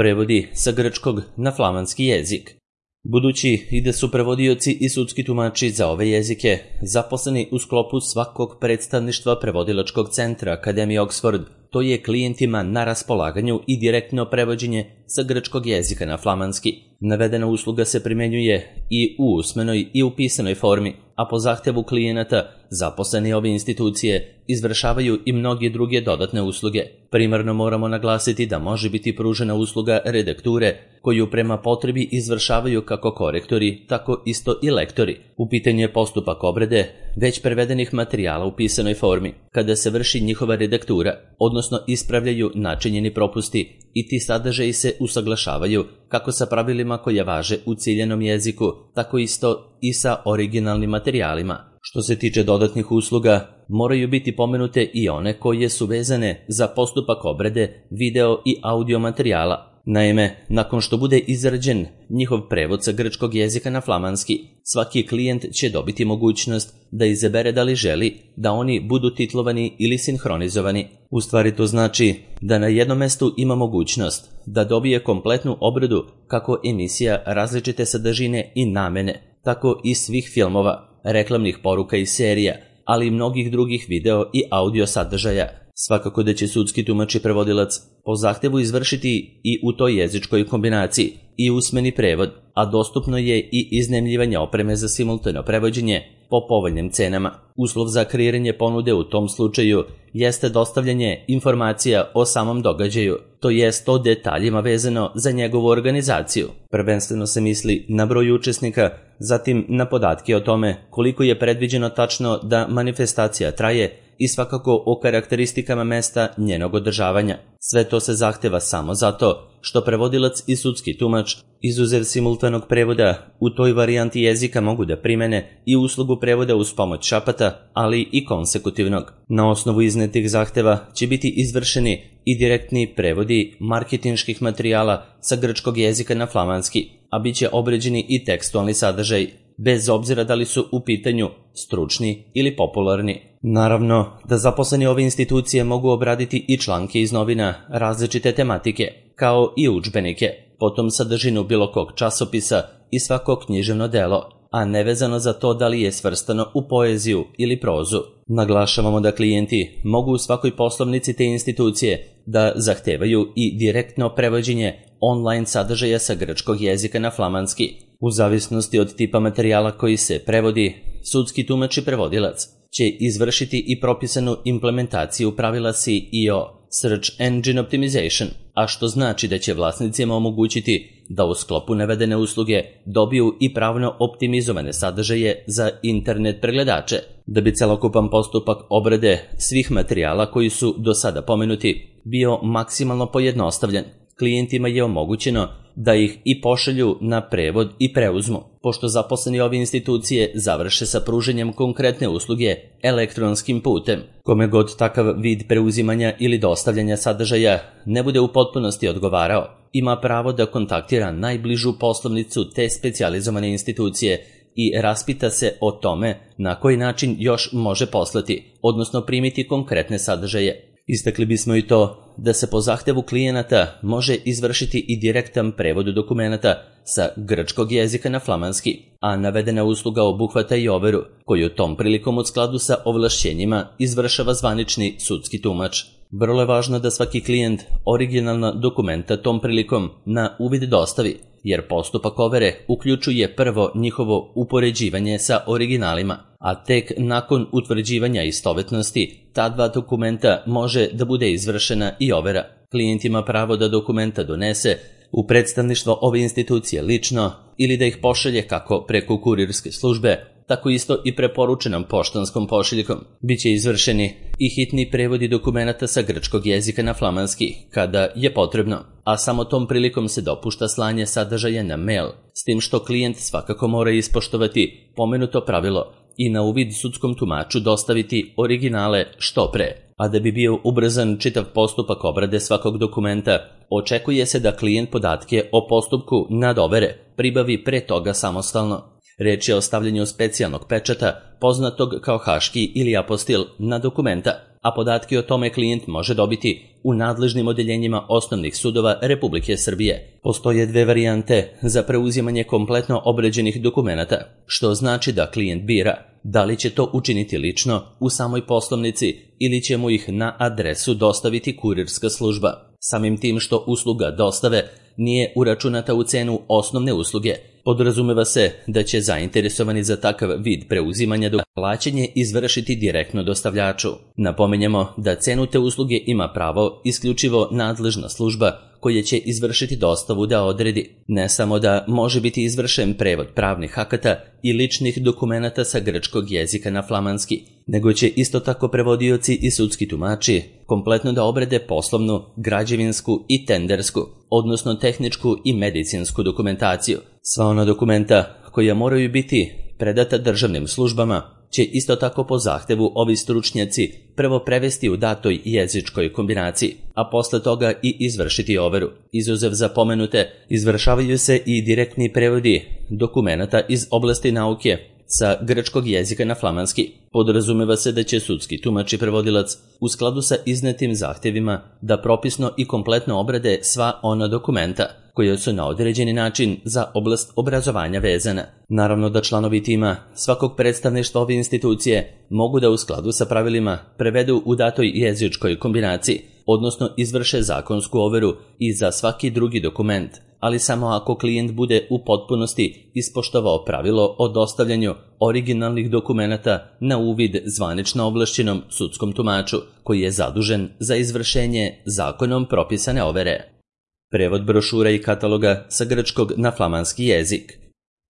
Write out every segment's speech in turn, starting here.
Prevodi sa grčkog na flamanski jezik. Budući i da su prevodioci i sudski tumači za ove jezike zaposleni u sklopu svakog predstavništva prevodilačkog centra Akademije Oxford, to je klijentima na raspolaganju i direktno prevođenje sa grčkog jezika na flamanski. Navedena usluga se primjenjuje i u usmenoj i u pisanoj formi, a po zahtevu klijenata zaposleni ove institucije izvršavaju i mnoge druge dodatne usluge. Primarno moramo naglasiti da može biti pružena usluga redakture, koju prema potrebi izvršavaju kako korektori, tako isto i lektori. U pitanju je postupak obrade već prevedenih materijala u pisanoj formi, kada se vrši njihova redaktura, odnosno ispravljaju načinjeni propusti i ti sadržaji se usaglašavaju kako sa pravilima koja važe u ciljanom jeziku, tako isto i sa originalnim materijalima. Što se tiče dodatnih usluga, moraju biti pomenute i one koje su vezane za postupak obrade video i audio materijala. Naime, nakon što bude izrađen njihov prevod sa grčkog jezika na flamanski, svaki klijent će dobiti mogućnost da izabere da li želi da oni budu titlovani ili sinhronizovani. U stvari to znači da na jednom mestu ima mogućnost da dobije kompletnu obradu kako emisija različite sadržine i namene, tako i svih filmova, reklamnih poruka i serija, ali i mnogih drugih video i audio sadržaja. Svakako da će sudski tumač i prevodilac po zahtevu izvršiti i u toj jezičkoj kombinaciji i usmeni prevod, a dostupno je i iznajmljivanje opreme za simultano prevođenje po povoljnim cenama. Uslov za kreiranje ponude u tom slučaju jeste dostavljanje informacija o samom događaju, to jest o detaljima vezano za njegovu organizaciju. Prvenstveno se misli na broj učesnika, zatim na podatke o tome koliko je predviđeno tačno da manifestacija traje i svakako o karakteristikama mesta njenog održavanja. Sve to se zahteva samo zato što prevodilac i sudski tumač, izuzev simultanog prevoda, u toj varijanti jezika mogu da primene i uslugu prevoda uz pomoć šapata, ali i konsekutivnog. Na osnovu iznetih zahteva će biti izvršeni i direktni prevodi marketinških materijala sa grčkog jezika na flamanski, a bit će obrađeni i tekstualni sadržaj, bez obzira da li su u pitanju stručni ili popularni. Naravno da zaposleni ove institucije mogu obraditi i članke iz novina različite tematike, kao i udžbenike, potom sadržinu bilo kog časopisa i svako književno delo, a nevezano za to da li je svrstano u poeziju ili prozu. Naglašavamo da klijenti mogu u svakoj poslovnici te institucije da zahtevaju i direktno prevođenje online sadržaja sa grčkog jezika na flamanski. U zavisnosti od tipa materijala koji se prevodi, sudski tumač i prevodilac će izvršiti i propisanu implementaciju pravila SEO, Search Engine Optimization, a što znači da će vlasnicima omogućiti da u sklopu navedene usluge dobiju i pravno optimizovane sadržaje za internet pregledače. Da bi celokupan postupak obrade svih materijala koji su do sada pomenuti bio maksimalno pojednostavljen, klijentima je omogućeno da ih i pošalju na prevod i preuzmu, pošto zaposleni ove institucije završe sa pruženjem konkretne usluge elektronskim putem. Kome god takav vid preuzimanja ili dostavljanja sadržaja ne bude u potpunosti odgovarao, ima pravo da kontaktira najbližu poslovnicu te specijalizovane institucije i raspita se o tome na koji način još može poslati, odnosno primiti konkretne sadržaje. Istakli bismo i to da se po zahtevu klijenata može izvršiti i direktan prevod dokumenata sa grčkog jezika na flamanski, a navedena usluga obuhvata i overu, koju tom prilikom u skladu sa ovlašćenjima izvršava zvanični sudski tumač. Vrlo je važno da svaki klijent originalna dokumenta tom prilikom na uvid dostavi, jer postupak overe uključuje prvo njihovo upoređivanje sa originalima, a tek nakon utvrđivanja istovetnosti ta dva dokumenta može da bude izvršena i overa. Klijent ima pravo da dokumenta donese u predstavništvo ove institucije lično ili da ih pošalje kako preko kurirske službe, tako isto i preporučenom poštanskom pošiljkom. Biće izvršeni i hitni prevodi dokumenata sa grčkog jezika na flamanski, kada je potrebno, a samo tom prilikom se dopušta slanje sadržaja na mail, s tim što klijent svakako mora ispoštovati pomenuto pravilo i na uvid sudskom tumaču dostaviti originale što pre. A da bi bio ubrzan čitav postupak obrade svakog dokumenta, očekuje se da klijent podatke o postupku nadovere pribavi pre toga samostalno. Reč je o stavljanju specijalnog pečata, poznatog kao haški ili apostil, na dokumenta. a podatke o tome klijent može dobiti u nadležnim odeljenjima osnovnih sudova Republike Srbije. Postoje dve varijante za preuzimanje kompletno obrađenih dokumenata, što znači da klijent bira da li će to učiniti lično u samoj poslovnici ili će mu ih na adresu dostaviti kurirska služba. Samim tim što usluga dostave nije uračunata u cenu osnovne usluge, podrazumeva se da će zainteresovani za takav vid preuzimanja plaćanje izvršiti direktno dostavljaču. Napominjemo da cenu te usluge ima pravo isključivo nadležna služba koja će izvršiti dostavu da odredi. Ne samo da može biti izvršen prevod pravnih akata i ličnih dokumenata sa grčkog jezika na flamanski, nego će isto tako prevodioci i sudski tumači kompletno da obrade poslovnu, građevinsku i tendersku, odnosno tehničku i medicinsku dokumentaciju. Sva ona dokumenta koja moraju biti predata državnim službama će isto tako po zahtevu ovi stručnjaci prvo prevesti u datoj jezičkoj kombinaciji, a posle toga i izvršiti overu. Izuzev za pomenute, izvršavaju se i direktni prevodi dokumenata iz oblasti nauke sa grčkog jezika na flamanski. Podrazumeva se da će sudski tumač i prevodilac u skladu sa iznetim zahtjevima da propisno i kompletno obrade sva ona dokumenta koja su na određeni način za oblast obrazovanja vezana. Naravno da članovi tima svakog predstavništva ove institucije mogu da u skladu sa pravilima prevedu u datoj jezičkoj kombinaciji, odnosno izvrše zakonsku overu i za svaki drugi dokument, ali samo ako klijent bude u potpunosti ispoštovao pravilo o dostavljanju originalnih dokumenata na uvid zvanično ovlašćenom sudskom tumaču koji je zadužen za izvršenje zakonom propisane overe. Prevod brošura i kataloga sa grčkog na flamanski jezik.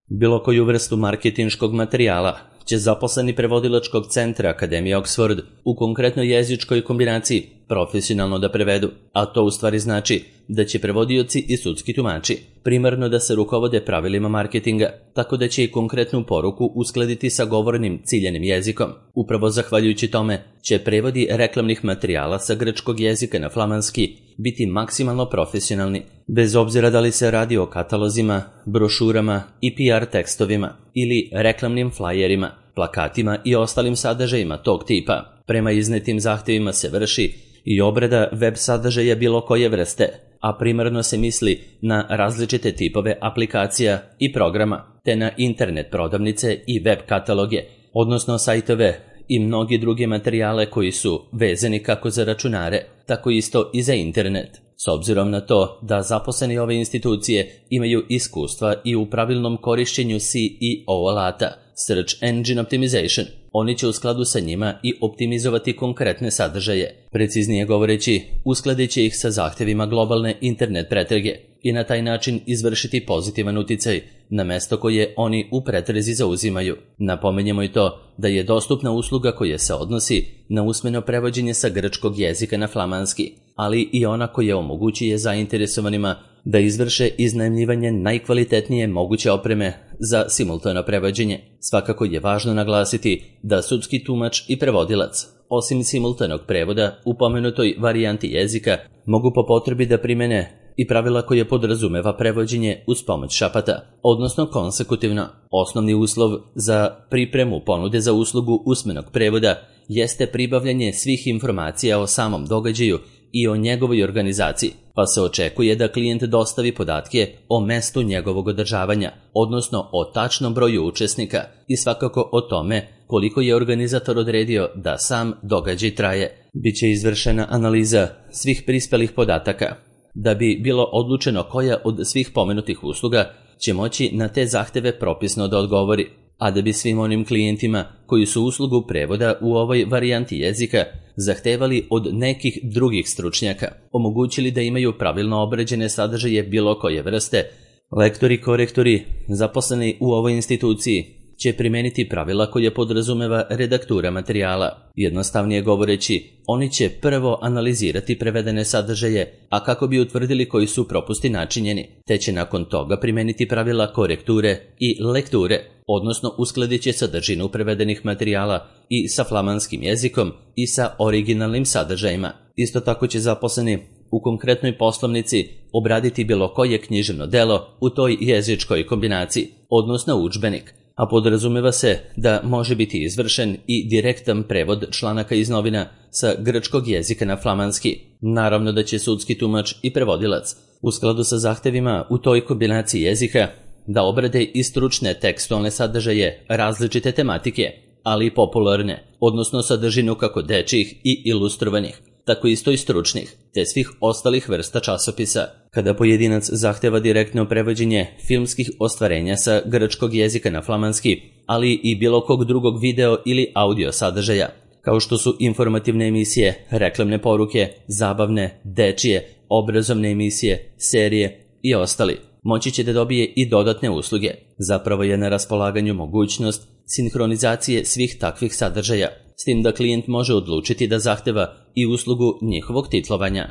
Bilo koju vrstu marketinškog materijala će zaposleni prevodilačkog centra Akademije Oxford u konkretnoj jezičkoj kombinaciji profesionalno da prevedu, a to u stvari znači da će prevodioci i sudski tumači primarno da se rukovode pravilima marketinga, tako da će i konkretnu poruku uskladiti sa govornim ciljanim jezikom. Upravo zahvaljujući tome će prevodi reklamnih materijala sa grčkog jezika na flamanski biti maksimalno profesionalni, bez obzira da li se radi o katalozima, brošurama i PR tekstovima ili reklamnim flajerima, plakatima i ostalim sadržajima tog tipa. Prema iznetim zahtjevima se vrši i obrada web sadržaja bilo koje vrste, a primarno se misli na različite tipove aplikacija i programa, te na internet prodavnice i web kataloge, odnosno sajtove i mnogi druge materijale koji su vezani kako za računare, tako isto i za internet. S obzirom na to da zaposleni ove institucije imaju iskustva i u pravilnom korišćenju SEO alata, Search Engine Optimization, oni će u skladu sa njima i optimizovati konkretne sadržaje. Preciznije govoreći, uskladit će ih sa zahtjevima globalne internet pretrage i na taj način izvršiti pozitivan uticaj na mesto koje oni u pretrezi zauzimaju. Napomenjemo i to da je dostupna usluga koja se odnosi na usmeno prevođenje sa grčkog jezika na flamanski, ali i ona koja omogućuje zainteresovanima da izvrše iznajmljivanje najkvalitetnije moguće opreme za simultano prevođenje. Svakako je važno naglasiti da sudski tumač i prevodilac, osim simultanog prevoda u pomenutoj varijanti jezika, mogu po potrebi da primene i pravila koje podrazumeva prevođenje uz pomoć šapata, odnosno konsekutivno. Osnovni uslov za pripremu ponude za uslugu usmenog prevoda jeste pribavljanje svih informacija o samom događaju i o njegovoj organizaciji, pa se očekuje da klijent dostavi podatke o mestu njegovog održavanja, odnosno o tačnom broju učesnika i svakako o tome koliko je organizator odredio da sam događaj traje. Biće izvršena analiza svih prispelih podataka, da bi bilo odlučeno koja od svih pomenutih usluga će moći na te zahteve propisno da odgovori, a da bi svim onim klijentima koji su uslugu prevoda u ovoj varijanti jezika zahtevali od nekih drugih stručnjaka omogućili da imaju pravilno obrađene sadržaje bilo koje vrste, lektori, korektori, zaposleni u ovoj instituciji će primeniti pravila koje podrazumeva redaktura materijala. Jednostavnije govoreći, oni će prvo analizirati prevedene sadržaje, a kako bi utvrdili koji su propusti načinjeni, te će nakon toga primeniti pravila korekture i lekture, odnosno uskladit će sadržinu prevedenih materijala i sa flamanskim jezikom i sa originalnim sadržajima. Isto tako će zaposleni u konkretnoj poslovnici obraditi bilo koje književno delo u toj jezičkoj kombinaciji, odnosno udžbenik, a podrazumeva se da može biti izvršen i direktan prevod članaka iz novina sa grčkog jezika na flamanski. Naravno da će sudski tumač i prevodilac, u skladu sa zahtevima u toj kombinaciji jezika, da obrade i stručne tekstualne sadržaje različite tematike, ali i popularne, odnosno sadržinu kako dečjih i ilustrovanih, tako isto i stručnih, te svih ostalih vrsta časopisa. Kada pojedinac zahteva direktno prevođenje filmskih ostvarenja sa grčkog jezika na flamanski, ali i bilo kog drugog video ili audio sadržaja, kao što su informativne emisije, reklamne poruke, zabavne, dečije, obrazovne emisije, serije i ostali, moći će da dobije i dodatne usluge. Zapravo je na raspolaganju mogućnost sinhronizacije svih takvih sadržaja, s tim da klijent može odlučiti da zahteva i uslugu njihovog titlovanja.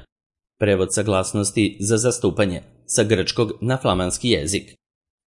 Prevod saglasnosti za zastupanje sa grčkog na flamanski jezik.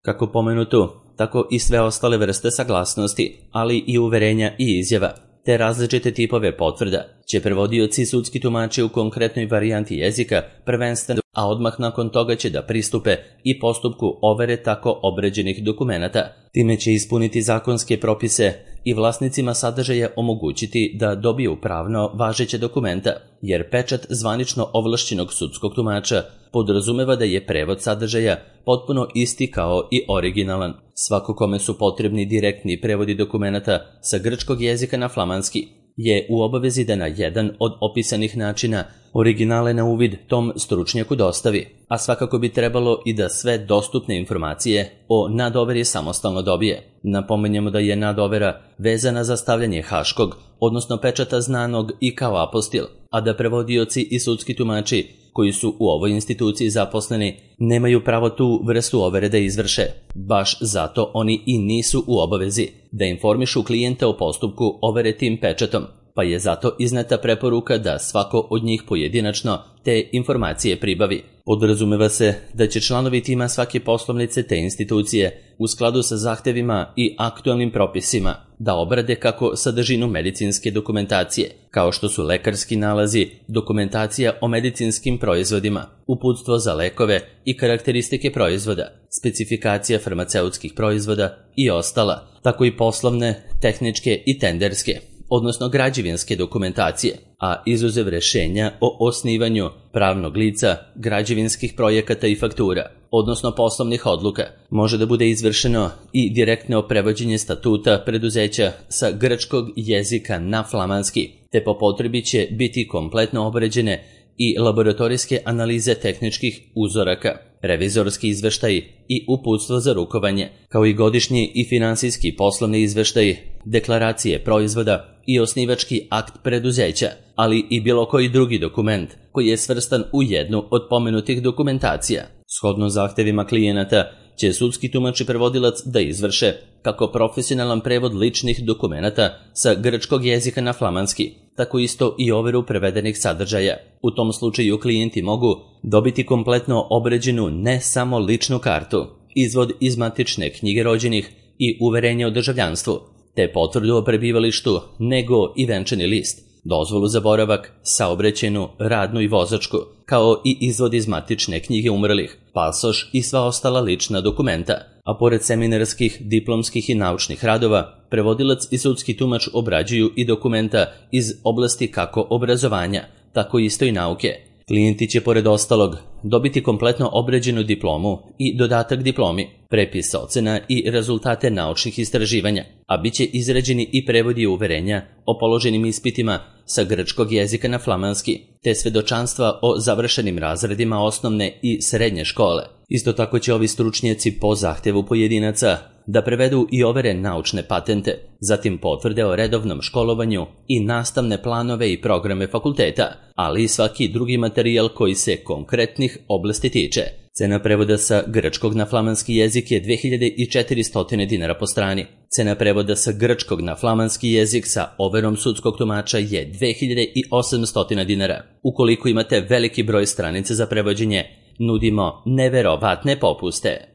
Kako pomenuto, tako i sve ostale vrste saglasnosti, ali i uverenja i izjava, te različite tipove potvrda, će prevodioci i sudski tumači u konkretnoj varijanti jezika prvenstveno, a odmah nakon toga će da pristupe i postupku overe tako obređenih dokumenata. Time će ispuniti zakonske propise i vlasnicima sadržaja omogućiti da dobiju pravno važeće dokumenta, jer pečat zvanično ovlašćenog sudskog tumača podrazumeva da je prevod sadržaja potpuno isti kao i originalan. Svako kome su potrebni direktni prevodi dokumenata sa grčkog jezika na flamanski je u obavezi da na jedan od opisanih načina originale na uvid tom stručnjaku dostavi, a svakako bi trebalo i da sve dostupne informacije o nadoveri samostalno dobije. Napominjemo da je nadovera vezana za stavljanje haškog, odnosno pečata znanog i kao apostil, a da prevodioci i sudski tumači koji su u ovoj instituciji zaposleni nemaju pravo tu vrstu overe da izvrše. Baš zato oni i nisu u obavezi da informišu klijenta o postupku overe tim pečatom, pa je zato izneta preporuka da svako od njih pojedinačno te informacije pribavi. Podrazumeva se da će članovi tima svake poslovnice te institucije u skladu sa zahtevima i aktualnim propisima da obrade kako sadržinu medicinske dokumentacije, kao što su lekarski nalazi, dokumentacija o medicinskim proizvodima, uputstvo za lekove i karakteristike proizvoda, specifikacija farmaceutskih proizvoda i ostala, tako i poslovne, tehničke i tenderske, odnosno građevinske dokumentacije, a izuzev rešenja o osnivanju pravnog lica, građevinskih projekata i faktura, odnosno poslovnih odluka, može da bude izvršeno i direktno prevođenje statuta preduzeća sa grčkog jezika na flamanski, te po potrebi će biti kompletno obrađene i laboratorijske analize tehničkih uzoraka, revizorski izveštaji i uputstvo za rukovanje, kao i godišnji i finansijski poslovni izveštaji, deklaracije proizvoda i osnivački akt preduzeća, ali i bilo koji drugi dokument koji je svrstan u jednu od pomenutih dokumentacija. Shodno zahtevima klijenata će sudski tumač i prevodilac da izvrše kako profesionalan prevod ličnih dokumenata sa grčkog jezika na flamanski, tako isto i overu prevedenih sadržaja. U tom slučaju klijenti mogu dobiti kompletno obrađenu ne samo ličnu kartu, izvod iz matične knjige rođenih i uverenje o državljanstvu, te potvrdu o prebivalištu, nego i venčani list, dozvolu za boravak, saobraćajnu, radnu i vozačku, kao i izvod iz matične knjige umrlih, pasoš i sva ostala lična dokumenta. A pored seminarskih, diplomskih i naučnih radova, prevodilac i sudski tumač obrađuju i dokumenta iz oblasti kako obrazovanja, tako isto i nauke. Klijenti će pored ostalog dobiti kompletno obrađenu diplomu i dodatak diplomi, prepis ocena i rezultate naučnih istraživanja, a bit će izrađeni i prevodi uverenja o položenim ispitima sa grčkog jezika na flamanski, te svedočanstva o završenim razredima osnovne i srednje škole. Isto tako će ovi stručnjaci po zahtevu pojedinaca da prevedu i overe naučne patente, zatim potvrde o redovnom školovanju i nastavne planove i programe fakulteta, ali i svaki drugi materijal koji se konkretnih oblasti tiče. Cena prevoda sa grčkog na flamanski jezik je 2400 dinara po strani. Cena prevoda sa grčkog na flamanski jezik sa overom sudskog tumača je 2800 dinara. Ukoliko imate veliki broj stranica za prevođenje, nudimo neverovatne popuste.